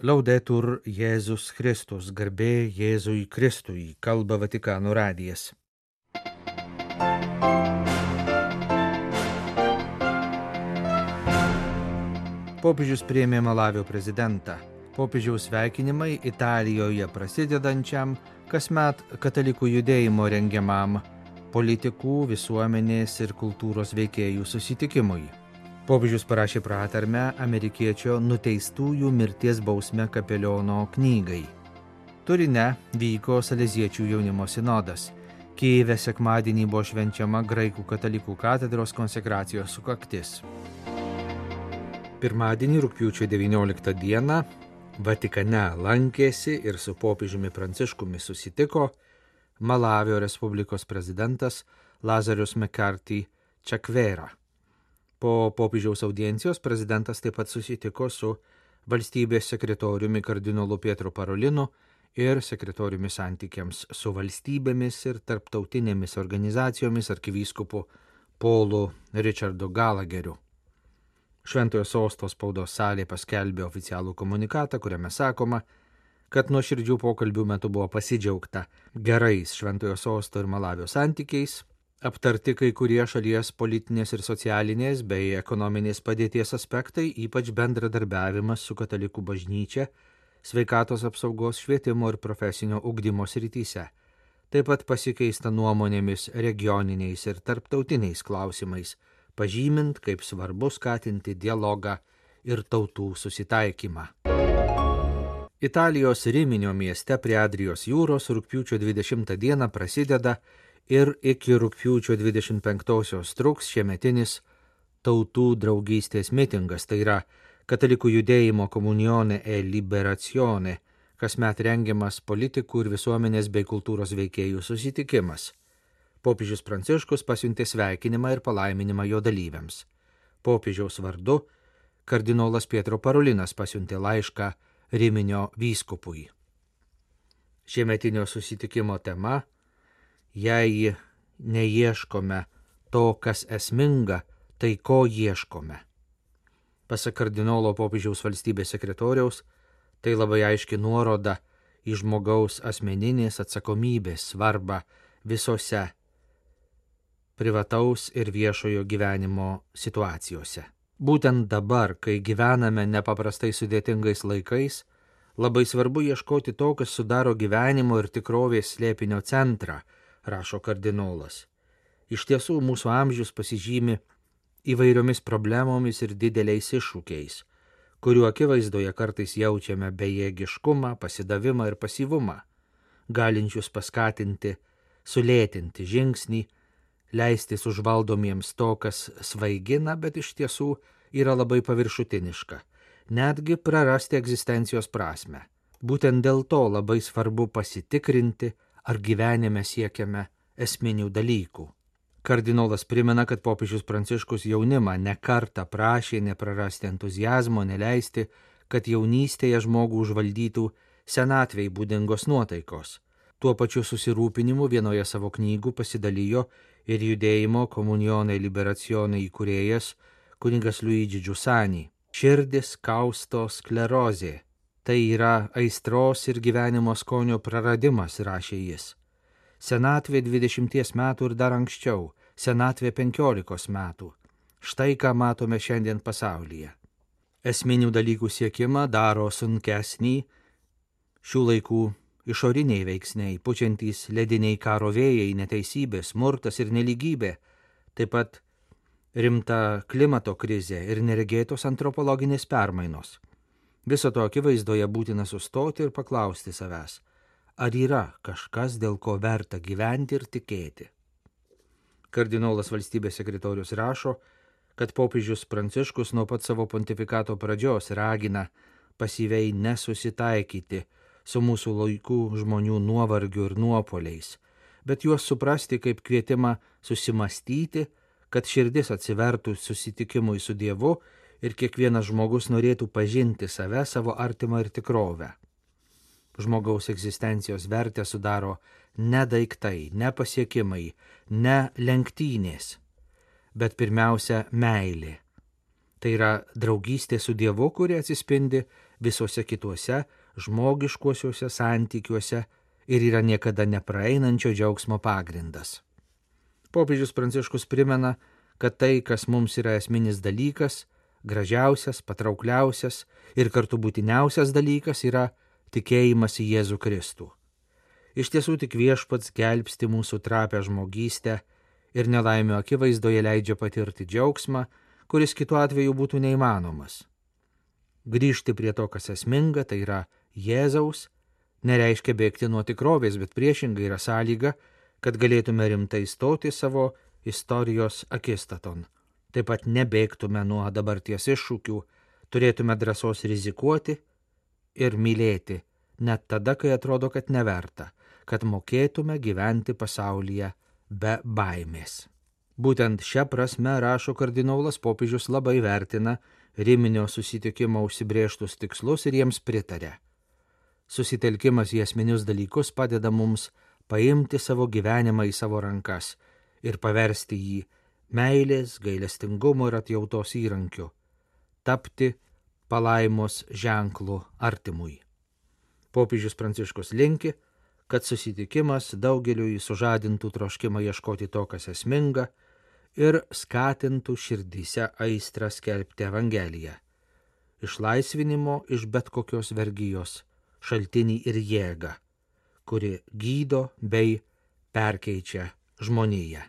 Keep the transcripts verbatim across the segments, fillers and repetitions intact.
Laudetur Jėzus Kristus, garbė Jėzui Kristui, kalba Vatikano radijas. Popiežius priėmė Malavio prezidentą. Popiežiaus sveikinimai Italijoje prasidedančiam kasmet katalikų judėjimo rengiamam politikų, visuomenės ir kultūros veikėjų susitikimui. Popiežius parašė pratarmę amerikiečio nuteistųjų mirties bausme kapeliono knygai. Turine vyko Saleziečių jaunimo sinodas. Kijeve sekmadienį buvo švenčiama graikų katalikų katedros konsekracijos sukaktis. Pirmadienį rugpjūčio devynioliktą dieną Vatikane lankėsi ir su popiežiumi Pranciškumi susitiko Malavio Respublikos prezidentas Lazarus Mekarti Čakvera. Po popiežiaus audiencijos prezidentas taip pat susitiko su valstybės sekretoriumi kardinolu Pietro Parolinu ir sekretoriumi santykiams su valstybėmis ir tarptautinėmis organizacijomis arkivyskupu Paulu Richardu Galageriu. Šventojo sosto spaudos salė paskelbė oficialų komunikatą, kuriame sakoma, kad nuoširdžių pokalbių metu buvo pasidžiaugta gerais Šventojo sosto ir Malavio santykiais, aptarti kai kurie šalies politinės ir socialinės bei ekonominės padėties aspektai, ypač bendradarbiavimas su katalikų bažnyčia, sveikatos apsaugos, švietimo ir profesinio ugdymo srityse. Taip pat pasikeista nuomonėmis regioniniais ir tarptautiniais klausimais, pažymint, kaip svarbu skatinti dialogą ir tautų susitaikymą. Italijos Riminio mieste prie Adrijos jūros rugpjūčio dvidešimtą dieną prasideda ir iki rugpjūčio dvidešimt penktosios truks šiemetinis tautų draugystės mitingas, tai yra katalikų judėjimo Comunione e Liberazione, kasmet rengiamas politikų ir visuomenės bei kultūros veikėjų susitikimas. Popiežius Pranciškus pasiuntė sveikinimą ir palaiminimą jo dalyviams. Popiežiaus vardu kardinolas Pietro Parolinas pasiuntė laišką Riminio vyskupui. Šiemetinio susitikimo tema: jei neieškome to, kas esminga, tai ko ieškome. Pasak kardinolo popiežiaus valstybės sekretoriaus, tai labai aiški nuoroda į žmogaus asmeninės atsakomybės svarbą visose privataus ir viešojo gyvenimo situacijose. Būtent dabar, kai gyvename nepaprastai sudėtingais laikais, labai svarbu ieškoti to, kas sudaro gyvenimo ir tikrovės slėpinio centrą, rašo kardinolas. Iš tiesų, mūsų amžius pasižymi įvairiomis problemomis ir dideliais iššūkiais, kuriuo akivaizdoje kartais jaučiame bejėgiškumą, pasidavimą ir pasyvumą, galinčius paskatinti, sulėtinti žingsnį, leistis užvaldomiems to, kas svaigina, bet iš tiesų yra labai paviršutiniška, netgi prarasti egzistencijos prasmę. Būtent dėl to labai svarbu pasitikrinti, ar gyvenime siekiame esminių dalykų. Kardinolas primena, kad popiežius Pranciškus jaunimą ne kartą prašė neprarasti entuziazmo, neleisti, kad jaunystėje žmogų užvaldytų senatvei būdingos nuotaikos. Tuo pačiu susirūpinimu vienoje savo knygų pasidalijo ir judėjimo Comunione Liberazione įkūrėjas kunigas Luigi Giussani. Širdis kausto sklerozė. Tai yra aistros ir gyvenimo skonio praradimas, rašė jis. Senatvė dvidešimties metų ir dar anksčiau, senatvė penkiolikos metų. Štai ką matome šiandien pasaulyje. Esminių dalykų siekimą daro sunkesnį šių laikų išoriniai veiksniai, pučiantys lediniai karo vėjai, neteisybė, smurtas ir nelygybė, taip pat rimta klimato krizė ir neregėtos antropologinės permainos. Viso to akivaizdoje būtina sustoti ir paklausti savęs, ar yra kažkas, dėl ko verta gyventi ir tikėti. Kardinolas valstybės sekretorius rašo, kad popiežius Pranciškus nuo pat savo pontifikato pradžios ragina pasyviai nesusitaikyti su mūsų laikų žmonių nuovargiu ir nuopoliais, bet juos suprasti kaip kvietimą susimastyti, kad širdis atsivertų susitikimui su Dievu ir kiekvienas žmogus norėtų pažinti save, savo artimą ir tikrovę. Žmogaus egzistencijos vertę sudaro ne daiktai, ne pasiekimai, ne lenktynės, bet pirmiausia meilė. Tai yra draugystė su Dievu, kuri atsispindi visuose kituose žmogiškuosiuose santykiuose ir yra niekada nepraeinančio džiaugsmo pagrindas. Popiežius Pranciškus primena, kad tai, kas mums yra esminis dalykas, gražiausias, patraukliausias ir kartu būtiniausias dalykas, yra tikėjimas į Jėzų Kristų. Iš tiesų tik Viešpats gelbsti mūsų trapę žmogystę ir nelaimio akivaizdoje leidžia patirti džiaugsmą, kuris kitu atveju būtų neįmanomas. Grįžti prie to, kas esminga, tai yra Jėzaus, nereiškia bėgti nuo tikrovės, bet priešingai yra sąlyga, kad galėtume rimtai stoti savo istorijos akistaton. Taip pat nebėgtume nuo dabarties iššūkių, turėtume drąsos rizikuoti ir mylėti, net tada, kai atrodo, kad neverta, kad mokėtume gyventi pasaulyje be baimės. Būtent šią prasme, rašo kardinolas, popiežius labai vertina Riminio susitikimo užsibrėžtus tikslus ir jiems pritarė. Susitelkimas į esminius dalykus padeda mums paimti savo gyvenimą į savo rankas ir paversti jį meilės, gailestingumo ir atjautos įrankiu, tapti palaimos ženklu artimui. Popiežius Pranciškus linki, kad susitikimas daugeliui sužadintų troškimą ieškoti to, kas esminga, ir skatintų širdyse aistrą skelbti Evangeliją, išlaisvinimo iš bet kokios vergijos šaltinį ir jėgą, kuri gydo bei perkeičia žmoniją.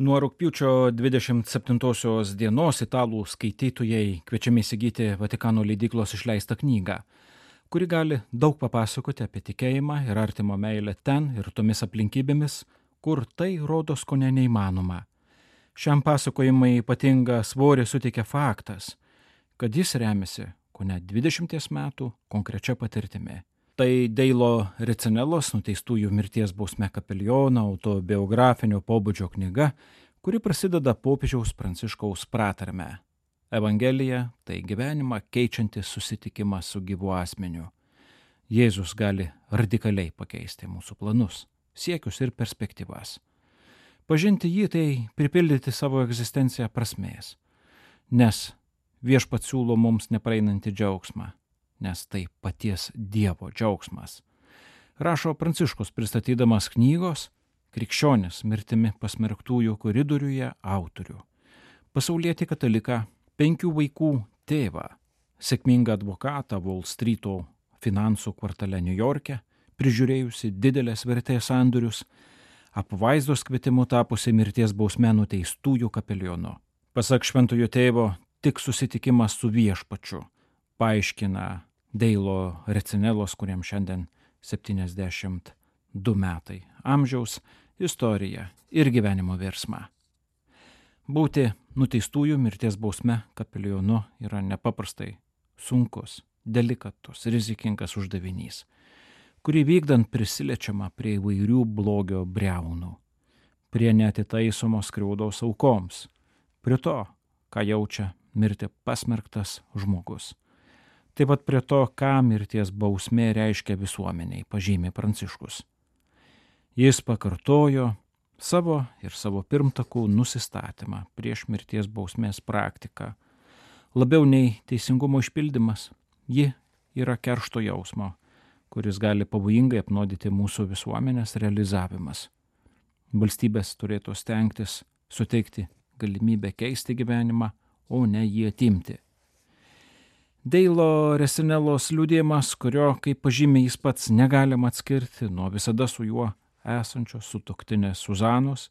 Nuo rugpjūčio dvidešimt septintosios dienos italų skaitytojai kviečiami įsigyti Vatikano leidyklos išleistą knygą, kuri gali daug papasakoti apie tikėjimą ir artimo meilę ten ir tomis aplinkybėmis, kur tai rodos kone neįmanoma. Šiam pasakojimui ypatingą svorį suteikia faktas, kad jis remiasi kone dvidešimties metų konkrečia patirtimi. Tai Deilo Ricinelos nuteistųjų mirties bausme kapeliono autobiografinio pobūdžio knyga, kuri prasideda popiežiaus Pranciškaus pratarme. Evangelija – tai gyvenimą keičiantis susitikimas su gyvu asmeniu. Jėzus gali radikaliai pakeisti mūsų planus, siekius ir perspektyvas. Pažinti jį tai pripildyti savo egzistenciją prasmės, nes Viešpats siūlo mums nepraeinantį džiaugsmą, nes tai paties Dievo džiaugsmas. Rašo Pranciškus pristatydamas knygos Krikščionis mirtimi pasmerktųjų koridoriuje autorių. Pasaulietį kataliką, penkių vaikų tėvą, sėkmingą advokatą Wall Streeto finansų kvartale Niujorke, prižiūrėjusi didelės vertės sandorius, apvaizdos kvietimu tapusi mirties bausme nuteistųjų kapelionu. Pasak šventojo tėvo, tik susitikimas su Viešpačiu paaiškina Deilo Ricinelos, kuriems šiandien septyniasdešimt du metai amžiaus, istoriją ir gyvenimo virsmą. Būti nuteistųjų mirties bausme kapelionu yra nepaprastai sunkus, delikatus, rizikingas uždavinys, kurį vykdant prisiliečiama prie įvairių blogio briaunų, prie neatitaisomos skriaudos aukoms, prie to, ką jaučia mirti pasmerktas žmogus. Taip pat prie to, ką mirties bausmė reiškia visuomeniai, pažymi Pranciškus. Jis pakartojo savo ir savo pirmtakų nusistatymą prieš mirties bausmės praktiką. Labiau nei teisingumo išpildymas, ji yra keršto jausmo, kuris gali pavojingai apnuodyti mūsų visuomenės realizavimas. Valstybės turėtų stengtis suteikti galimybę keisti gyvenimą, o ne jį atimti. Deilo Ricinelos liudijimas, kurio, kaip pažymė jis pats, negalima atskirti nuo visada su juo esančios sutuoktinės Suzanos,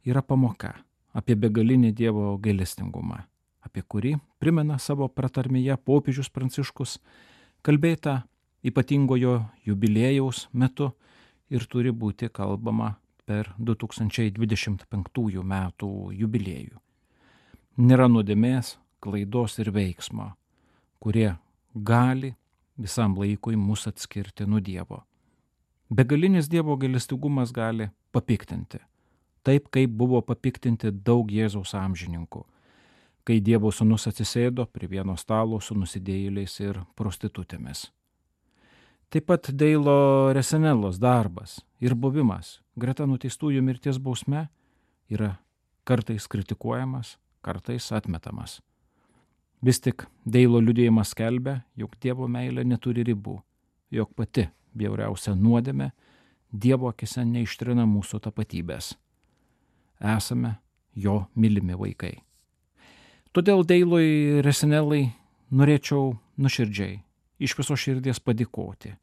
yra pamoka apie begalinį Dievo gailestingumą, apie kurį primena savo pratarmėje popiežius Pranciškus, kalbėta ypatingojo jubiliejaus metu ir turi būti kalbama per du tūkstančiai dvidešimt penktųjų metų jubiliejų. Nėra nuodėmės, klaidos ir veiksmo, kurie gali visam laikui mus atskirti nuo Dievo. Begalinis Dievo gailestingumas gali papiktinti, taip kaip buvo papiktinti daug Jėzaus amžininkų, kai Dievo sūnus atsisėdo prie vieno stalo su nusidėjėliais ir prostitutėmis. Taip pat Deilo Ricinelos darbas ir buvimas greta nuteistųjų mirties bausme yra kartais kritikuojamas, kartais atmetamas. Vis tik Deilo liudijimas skelbia, jog Dievo meilė neturi ribų, jog pati bjauriausia nuodėmė Dievo akise neištrina mūsų tapatybės. Esame jo mylimi vaikai. Todėl Deilui Resinelai norėčiau nuoširdžiai, iš viso širdies padėkoti,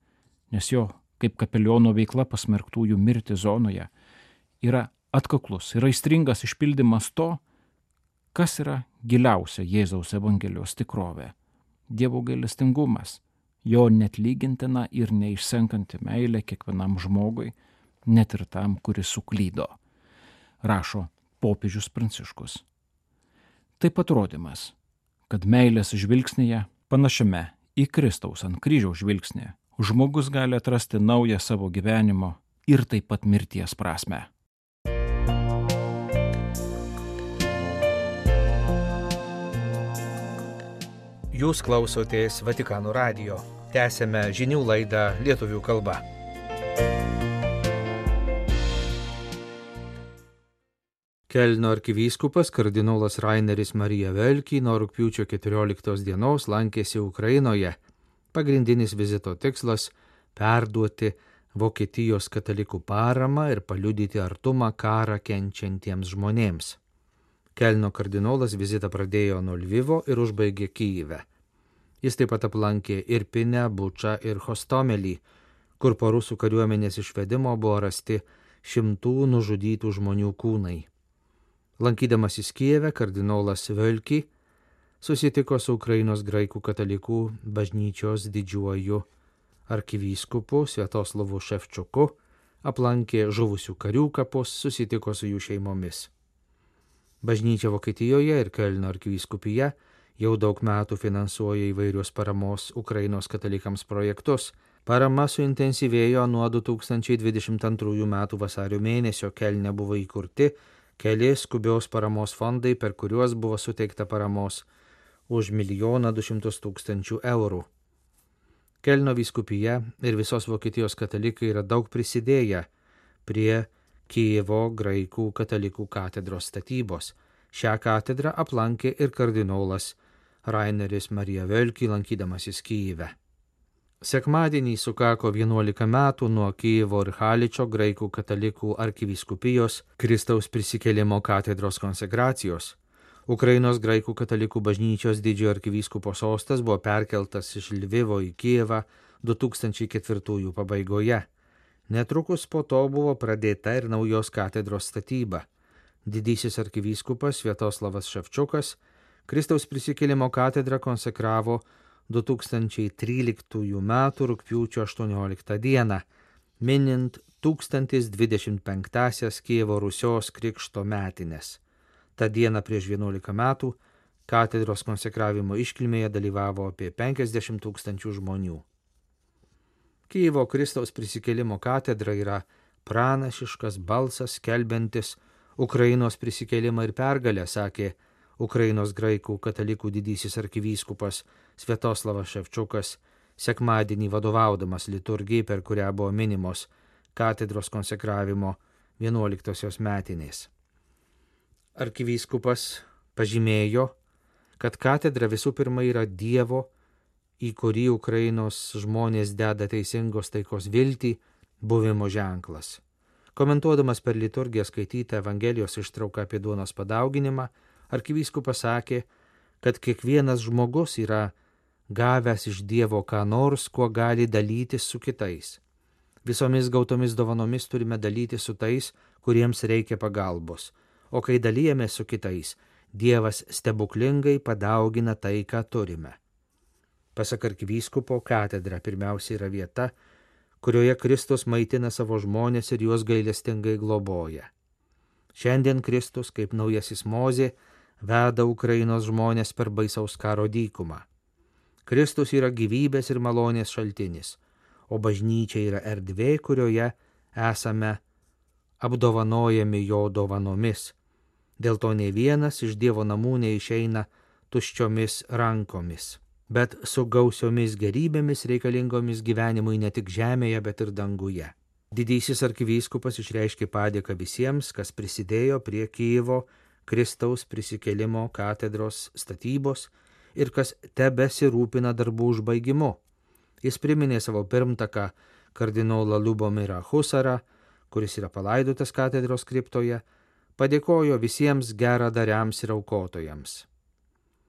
nes jo kaip kapeliono veikla pasmerktųjų mirti zonoje yra atkaklus ir aistringas išpildymas to, kas yra giliausia Jėzaus Evangelijos tikrovė – Dievo gailestingumas, jo netlygintina ir neišsenkanti meilė kiekvienam žmogui, net ir tam, kuris suklydo, rašo popiežius Pranciškus. Taip pat rodymas, kad meilės žvilgsnyje, panašiame į Kristaus ant kryžiaus žvilgsnį, žmogus gali atrasti naują savo gyvenimo ir taip pat mirties prasmę. Jūs klausotės Vatikano radijo. Tęsėme žinių laidą lietuvių kalba. Kelno arkivyskupas kardinolas Raineris Marija Velki nuo rugpjūčio keturioliktos dienos lankėsi Ukrainoje. Pagrindinis vizito tikslas – perduoti Vokietijos katalikų paramą ir paliudyti artumą karą kenčiantiems žmonėms. Kelno kardinolas vizitą pradėjo nuo Lvivo ir užbaigė Kyjive. Jis taip pat aplankė Irpinę, Bučą ir Hostomelį, kur po rusų kariuomenės išvedimo buvo rasti šimtų nužudytų žmonių kūnai. Lankydamasis Kijeve, kardinolas Velki susitiko su Ukrainos graikų katalikų bažnyčios didžiuoju arkivyskupu Sviatoslavu Ševčiuku, aplankė žuvusių karių kapus, susitiko su jų šeimomis. Bažnyčia Vokietijoje ir Kelno arkivyskupija jau daug metų finansuoja įvairius paramos Ukrainos katalikams projektus. Parama suintensyvėjo nuo du tūkstančiai dvidešimt antrųjų metų vasario mėnesio. Kelne buvo įkurti keli skubios paramos fondai, per kuriuos buvo suteikta paramos už milijoną du šimtus tūkstančių eurų. Kelno vyskupija ir visos Vokietijos katalikai yra daug prisidėję prie Kijevo graikų katalikų katedros statybos. Šią katedrą aplankė ir kardinolas Raineris Marija Velki, lankydamasis Kijive. Sekmadienį sukako vienuolika metų nuo Kijevo ir Haličo graikų katalikų arkivyskupijos Kristaus prisikėlimo katedros konsekracijos. Ukrainos graikų katalikų bažnyčios didžiojo arkivyskupo sostas buvo perkeltas iš Lvivo į Kijevą du tūkstančiai ketvirtųjų pabaigoje. Netrukus po to buvo pradėta ir naujos katedros statyba. Didysis arkivyskupas Sviatoslavas Ševčiukas Kristaus prisikėlimo katedrą konsekravo du tūkstančiai tryliktųjų metų rugpjūčio aštuonioliktą dieną, minint tūkstantis dvidešimt penktąsias Kijevo Rusios krikšto metines. Ta diena prieš vienuolika metų katedros konsekravimo iškilmėje dalyvavo apie penkiasdešimt tūkstančių žmonių. Kijevo Kristaus prisikėlimo katedra yra pranašiškas balsas skelbiantis Ukrainos prisikėlimą ir pergalę, sakė Ukrainos graikų katalikų didysis arkivyskupas Sviatoslavas Ševčiukas sekmadienį vadovaudamas liturgijai, per kurią buvo minimos katedros konsekravimo vienuoliktosios metinės. Arkivyskupas pažymėjo, kad katedra visų pirma yra Dievo, į kurį Ukrainos žmonės deda teisingos taikos viltį, buvimo ženklas. Komentuodamas per liturgiją skaitytą Evangelijos ištrauką apie duonos padauginimą, arkivyskupas sakė, kad kiekvienas žmogus yra gavęs iš Dievo ką nors, kuo gali dalytis su kitais. Visomis gautomis dovanomis turime dalyti su tais, kuriems reikia pagalbos, o kai dalijame su kitais, Dievas stebuklingai padaugina tai, ką turime. Pasak arkivyskupo, katedra pirmiausia yra vieta, kurioje Kristus maitina savo žmonės ir juos gailestingai globoja. Šiandien Kristus, kaip naujasis Mozė, veda Ukrainos žmonės per baisaus karo dykumą. Kristus yra gyvybės ir malonės šaltinis, o bažnyčia yra erdvė, kurioje esame apdovanojami jo dovanomis. Dėl to nei vienas iš Dievo namų neišeina tuščiomis rankomis, bet su gausiomis gerybėmis reikalingomis gyvenimui ne tik žemėje, bet ir danguje. Didysis arkivyskupas išreiškė padėką visiems, kas prisidėjo prie Kijevo Kristaus prisikėlimo katedros statybos ir kas tebesirūpina darbų užbaigimu. Jis priminė savo pirmtaką kardinolą Liubomirą Husarą, kuris yra palaidotas katedros kriptoje, padėkojo visiems geradariams ir aukotojams.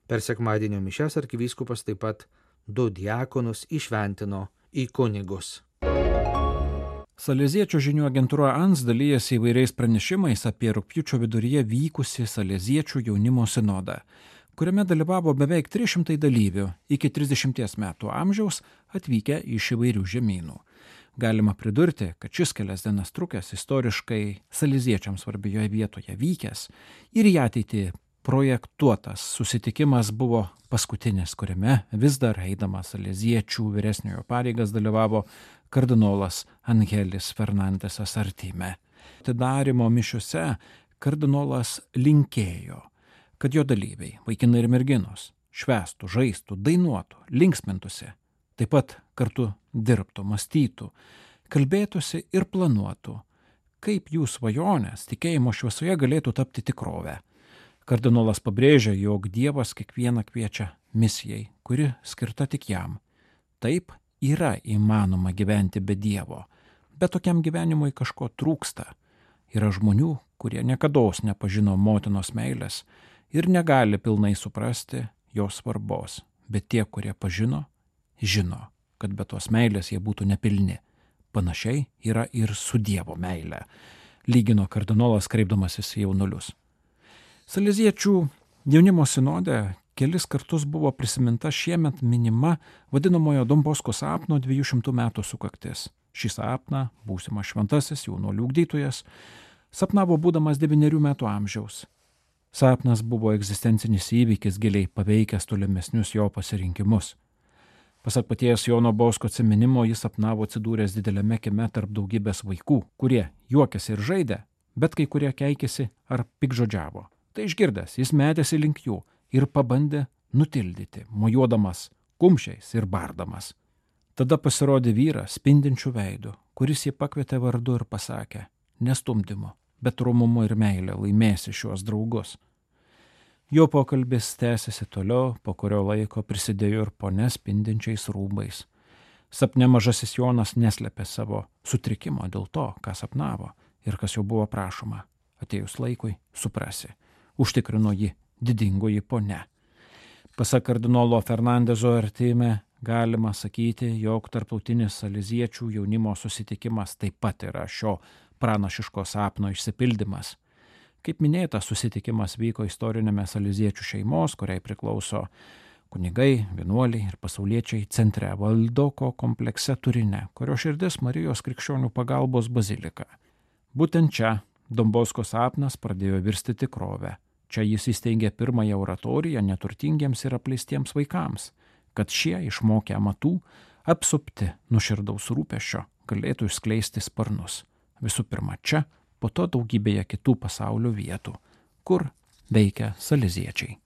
Per sekmadienio mišias arkivyskupas taip pat du diakonus išventino į kunigus. Saleziečių žinių agentūra A N S dalyjasi įvairiais pranešimais apie rugpjūčio viduryje vykusį Saleziečių jaunimo sinodą, kuriame dalyvavo beveik trys šimtai dalyvių iki trisdešimties metų amžiaus atvykę iš įvairių žemynų. Galima pridurti, kad šis kelias dienas trukęs istoriškai saleziečiams svarbioje vietoje vykęs ir į ateitį projektuotas susitikimas buvo paskutinis, kuriame vis dar eidamas saleziečių vyresniojo pareigas dalyvavo kardinolas Angelis Fernandesas Artime. Atidarymo mišiuose kardinolas linkėjo, kad jo dalyviai, vaikinai ir merginos, švęstų, žaistų, dainuotų, linksmintųsi, taip pat kartu dirbtų, mąstytų, kalbėtųsi ir planuotų, kaip jų svajonės tikėjimo šviesoje galėtų tapti tikrovę. Kardinolas pabrėžia, jog Dievas kiekvieną kviečia misijai, kuri skirta tik jam. Taip yra įmanoma gyventi be Dievo, bet tokiam gyvenimui kažko trūksta. Yra žmonių, kurie niekados nepažino motinos meilės ir negali pilnai suprasti jos svarbos, bet tie, kurie pažino, žino, kad be tos meilės jie būtų nepilni. Panašiai yra ir su Dievo meile, lygino kardinolas kreipdamasis į jaunuolius. Saleziečių jaunimo sinode kelis kartus buvo prisiminta šiemet minima vadinamojo Don Bosko sapno dviejų šimtų metų sukaktis. Šį sapną būsimas šventasis jaunuolių ugdytojas sapnavo būdamas devynerių metų amžiaus. Sapnas buvo egzistencinis įvykis giliai paveikęs tolimesnius jo pasirinkimus. Pasak paties Jono Bosko atsiminimo, jis sapnavo atsidūręs dideliame kieme tarp daugybės vaikų, kurie juokėsi ir žaidė, bet kai kurie keikėsi ar pikžodžiavo. Tai išgirdęs, jis metėsi link jų ir pabandė nutildyti, mojuodamas kumščiais ir bardamas. Tada pasirodė vyras spindinčių veidų, kuris jį pakvietė vardu ir pasakė, nestumdymu, bet romumu ir meilė laimėsi šiuos draugus. Jo pokalbis tęsiasi toliau, po kurio laiko prisidėjo ir ponia spindinčiais rūbais. Sapne mažasis Jonas neslėpė savo sutrikimo dėl to, ką sapnavo ir kas jau buvo prašoma. Atėjus laikui suprasi, užtikrino jį didingoji ponia. Pasak kardinolo Fernandeso Artime, galima sakyti, jog tarptautinis saleziečių jaunimo susitikimas taip pat yra šio pranašiško sapno išsipildymas. Kaip minėta, susitikimas vyko istorinėme saleziečių šeimos, kuriai priklauso kunigai, vienuoliai ir pasauliečiai centre Valdoko komplekse Turine, kurio širdis Marijos krikščionių pagalbos bazilika. Būtent čia Don Bosko sapnas pradėjo virsti tikrovę. Čia jis įsteigė pirmąją oratoriją neturtingiems ir apleistiems vaikams, kad šie išmokę amatų, apsupti nuoširdaus rūpesčio, galėtų išskleisti sparnus. Visų pirma čia, po to daugybėje kitų pasaulio vietų, kur veikia saleziečiai.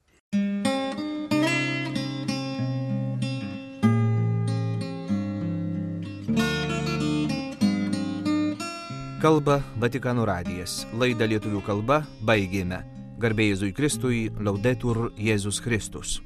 Kalba Vatikano radijas. Laidą lietuvių kalba baigėme. Garbė Jėzui Kristui, Laudetur Jėzus Kristus.